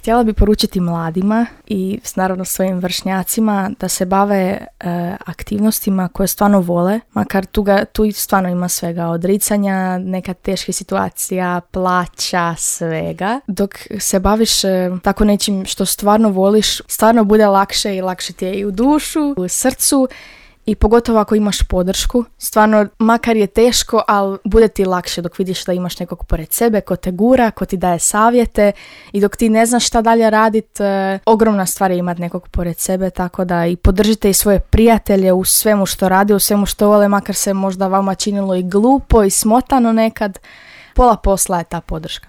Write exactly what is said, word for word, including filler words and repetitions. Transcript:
htjela bi poručiti mladima i naravno svojim vršnjacima da se bave e, aktivnostima koje stvarno vole, makar tu, ga, tu stvarno ima svega, odricanja, neka teška situacija, plaća, svega. Dok se baviš e, tako nečim što stvarno voliš, stvarno bude lakše i lakše ti je i u dušu, u srcu. I pogotovo ako imaš podršku, stvarno, makar je teško, ali bude ti lakše dok vidiš da imaš nekog pored sebe ko te gura, ko ti daje savjete i dok ti ne znaš šta dalje radit, e, ogromna stvar je imati nekog pored sebe, tako da i podržite i svoje prijatelje u svemu što rade, u svemu što vole, makar se možda vama činilo i glupo i smotano nekad. Pola posla je ta podrška.